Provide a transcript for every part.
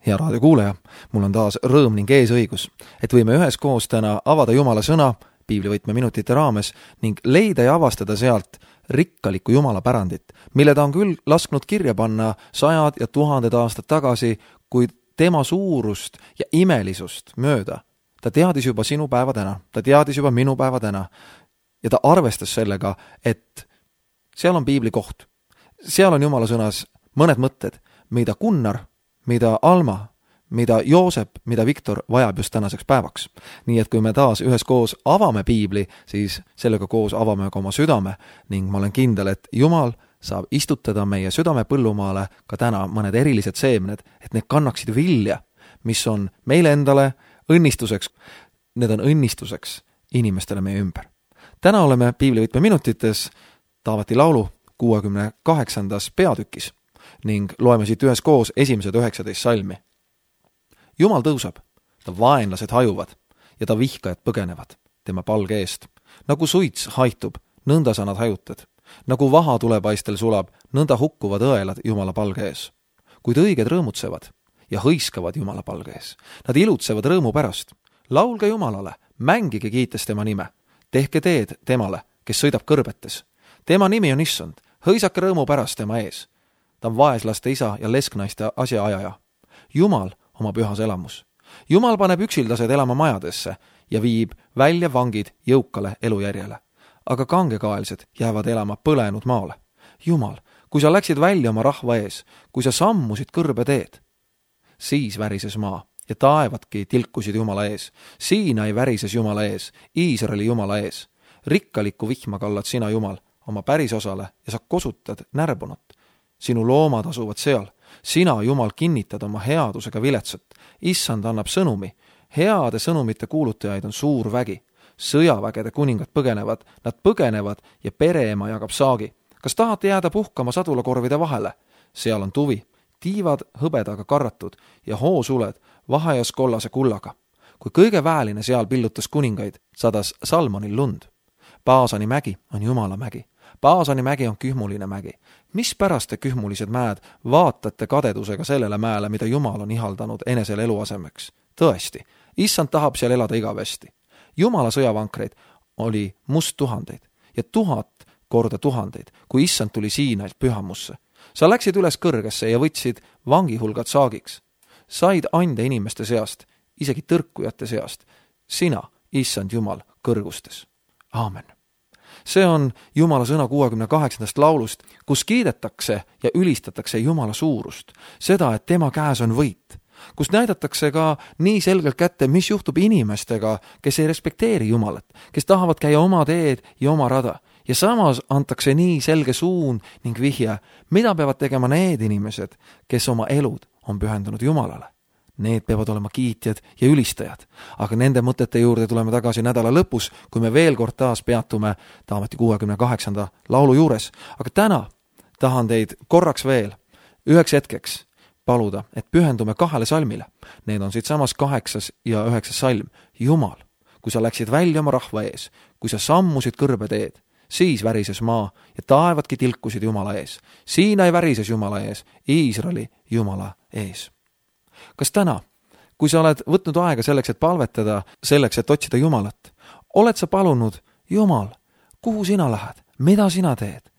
Hea raadiokuulaja, mul on taas rõõm ning eesõigus, et võime üheskoos täna avada Jumala sõna piiblivõtme minutite raames ning leida ja avastada sealt rikkalikku Jumala pärandit, mille ta on küll lasknud kirja panna 100 ja 1000 aastat tagasi, kuid tema suurust ja imelisust mööda. Ta teadis juba sinu päeva täna, ta teadis juba minu päeva täna ja ta arvestas sellega, et seal on piibli koht. Seal on Jumala sõnas mõned mõtted, mida Gunnar, mida Alma, mida Joosep, mida Viktor vajab just tänaseks päevaks. Nii et kui me taas üheskoos avame piibli, siis sellega koos avame ka oma südame ning ma olen kindel, et Jumal saab istutada meie südame põllumaale ka täna mõned erilised seemned, et need kannaksid vilja, mis on meile endale õnnistuseks. Need on õnnistuseks inimestele meie ümber. Täna oleme piiblivõtme minutites Taaveti laulu 68. peatükis ning loeme siit üheskoos esimesed 19 salmi. Jumal tõuseb, ta vaenlased hajuvad ja ta vihkajad põgenevad tema palge eest. Nagu suits haitub, nõnda sa nad hajutad. Nagu vaha tulepaistel sulab, nõnda hukkuvad õelad Jumala palge ees. Kuid õiged rõõmutsevad ja hõiskavad Jumala palge ees. Nad ilutsevad rõõmu pärast. Laulge Jumalale, mängige kiites tema nime. Tehke teed temale, kes sõidab kõrbetes. Tema nimi on Issand, hõisake rõõmu pärast tema ees. Ta on vaeslaste isa ja lesknaiste asjaajaja. Jumal oma pühas elamus. Jumal paneb üksildased elama majadesse ja viib välja vangid jõukale elujärjele. Aga kangekaelsed jäävad elama põlenud maale. Jumal, kui sa läksid välja oma rahva ees, kui sa sammusid kõrbe teed, siis värises maa ja taevadki tilkusid Jumala ees. Siinai värises Jumala ees, Iisraeli Jumala ees. Rikkalikku vihma kallad sina, Jumal, oma pärisosale ja sa kosutad närbunut. Sinu loomad asuvad seal. Sina, Jumal, kinnitad oma headusega viletsat. Issand annab sõnumi. Heade sõnumite kuulutajaid on suur vägi. Sõjavägede kuningad põgenevad, nad põgenevad ja pereema jagab saagi. Kas tahate jääda puhkama sadulakorvide vahele? Seal on tuvi, tiivad hõbedaga karratud ja hoosuled vahejas kollase kullaga. Kui kõige väeline seal pillutas kuningaid, sadas Salmonil lund. Paasani mägi on Jumala mägi. Paasani mägi on kühmuline mägi. Mispärast te kühmulised mäed vaatate kadedusega sellele mäele, mida Jumal on ihaldanud enesele eluasemeks? Tõesti, Issand tahab seal elada igavesti. Jumala sõjavankreid oli must 1000 ja 1000 korda 1000, kui Issand tuli Siinailt pühamusse. Sa läksid üles kõrgesse ja võtsid vangihulgad saagiks. Said ande inimeste seast, isegi tõrkujate seast. Sina, Issand Jumal, kõrgustes. Aamen. See on Jumala sõna 68. laulust, kus kiidetakse ja ülistatakse Jumala suurust, seda, et tema käes on võit, kus näidatakse ka nii selgelt kätte, mis juhtub inimestega, kes ei respekteeri Jumalat, kes tahavad käia oma teed ja oma rada. Ja samas antakse nii selge suun ning vihje, mida peavad tegema need inimesed, kes oma elud on pühendunud Jumalale. Need peavad olema kiitjad ja ülistajad, aga nende mõtete juurde tuleme tagasi nädala lõpus, kui me veel kord taas peatume Taaveti 68. laulu juures. Aga täna tahan teid korraks veel üheks hetkeks paluda, et pühendume 2 salmile. Need on siit samas 8. ja 9. salm. Jumal, kui sa läksid välja oma rahva ees, kui sa sammusid kõrbe teed, siis värises maa ja taevadki tilkusid Jumala ees. Siinai värises Jumala ees, Iisraeli Jumala ees. Kas täna, kui sa oled võtnud aega selleks, et palvetada, selleks, et otsida Jumalat, oled sa palunud, Jumal, kuhu sina lähed, mida sina teed?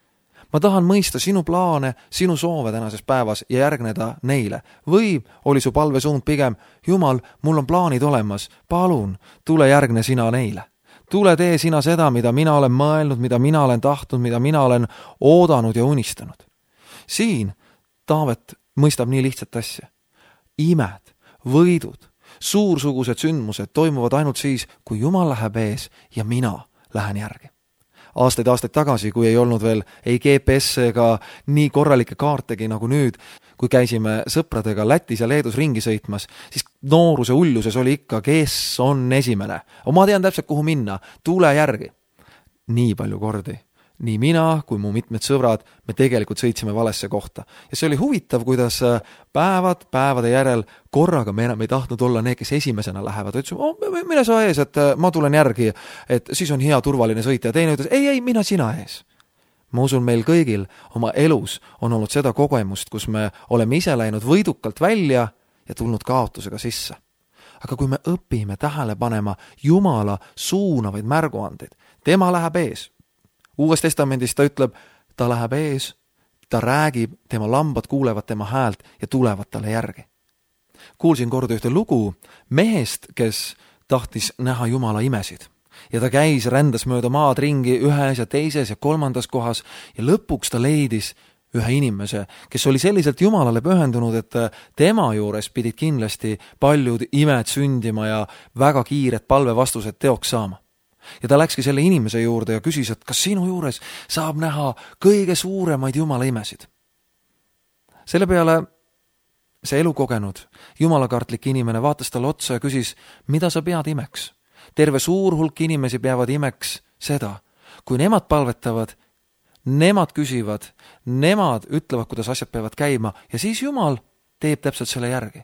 Ma tahan mõista sinu plaane, sinu soove tänases päevas ja järgneda neile. Või oli su palvesuund pigem, Jumal, mul on plaanid olemas, palun, tule järgne sina neile. Tule tee sina seda, mida mina olen mõelnud, mida mina olen tahtnud, mida mina olen oodanud ja unistanud. Siin Taavet mõistab nii lihtsat asja. Imed, võidud, suursugused sündmused toimuvad ainult siis, kui Jumal läheb ees ja mina lähen järgi. Aastaid tagasi, kui ei olnud veel ei GPS ega nii korralikke kaartegi nagu nüüd, kui käisime sõpradega Lätis ja Leedus ringi sõitmas, siis nooruse uljuses oli ikka, kes on esimene. Ma tean täpselt, kuhu minna, tule järgi. Nii palju kordi. Nii mina kui mu mitmed sõbrad, me tegelikult sõitsime valesse kohta. Ja see oli huvitav, kuidas päevade järel korraga me enam ei tahtnud olla need, kes esimesena lähevad. Ütlesime, mine sa ees, et ma tulen järgi, et siis on hea turvaline sõita. Ja teine ütles, ei, mina sina ees. Ma usun, meil kõigil oma elus on olnud seda kogemust, kus me oleme ise läinud võidukalt välja ja tulnud kaotusega sisse. Aga kui me õpime tähele panema Jumala suunavaid märguandeid, tema läheb ees. Uues testamendis ta ütleb, ta läheb ees, ta räägib, tema lambad kuulevad tema häält ja tulevad talle järgi. Kuulsin kord ühte lugu mehest, kes tahtis näha Jumala imesid. Ja ta käis, rändas mööda maad ringi ühes ja teises ja kolmandas kohas ja lõpuks ta leidis ühe inimese, kes oli selliselt Jumalale pühendunud, et tema juures pidid kindlasti paljud imed sündima ja väga kiired palvevastused teoks saama. Ja ta läkski selle inimese juurde ja küsis, et kas sinu juures saab näha kõige suuremaid Jumala imesid. Selle peale see elukogenud, jumalakartlik inimene vaatas talle otsa ja küsis, mida sa pead imeks? Terve suur hulk inimesi peavad imeks seda, kui nemad palvetavad, nemad küsivad, nemad ütlevad, kuidas asjad peavad käima ja siis Jumal teeb täpselt selle järgi.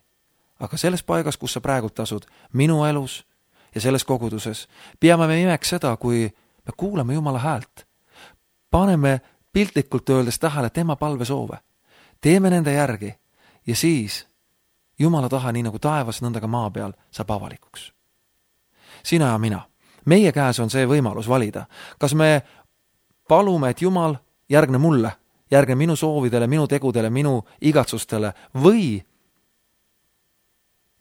Aga selles paigas, kus sa praegult asud, minu elus ja selles koguduses, peame me imeks seda, kui me kuuleme Jumala häält. Paneme piltlikult öeldes tähele tema palvesoove. Teeme nende järgi ja siis Jumala tahe, nii nagu taevas, nõnda ka maa peal, saab avalikuks. Sina ja mina. Meie käes on see võimalus valida. Kas me palume, et Jumal järgne mulle, järgne minu soovidele, minu tegudele, minu igatsustele või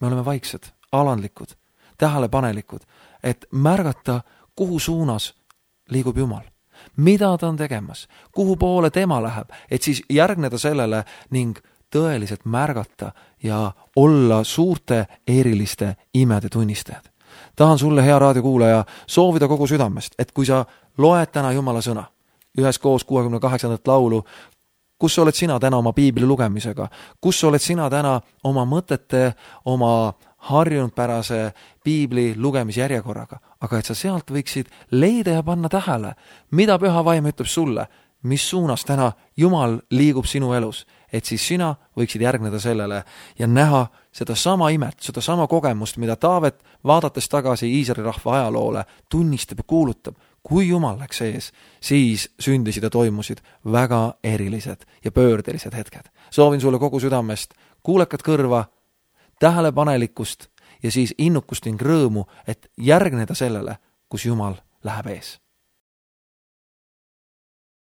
me oleme vaiksed, alandlikud, tähelepanelikud, et märgata, kuhu suunas liigub Jumal. Mida ta on tegemas, kuhu poole tema läheb, et siis järgneda sellele ning tõeliselt märgata ja olla suurte eriliste imede tunnistajad. Tahan sulle, hea raadiokuulaja, soovida kogu südamest, et kui sa loed täna Jumala sõna, üheskoos 68. laulu, kus oled sina täna oma piibli lugemisega, kus oled sina täna oma mõtete, oma harjunudpärase piibli lugemisjärjekorraga, aga et sa sealt võiksid leida ja panna tähele, mida püha vaim ütleb sulle, mis suunas täna Jumal liigub sinu elus, et siis sina võiksid järgneda sellele ja näha seda sama imet, seda sama kogemust, mida Taavet, vaadates tagasi Iisraeli rahva ajaloole, tunnistab ja kuulutab. Kui Jumal läks ees, siis sündisid ja toimusid väga erilised ja pöördelised hetked. Soovin sulle kogu südamest kuulekat kõrva, tähelepanelikkust ja siis innukust ning rõõmu, et järgneda sellele, kus Jumal läheb ees.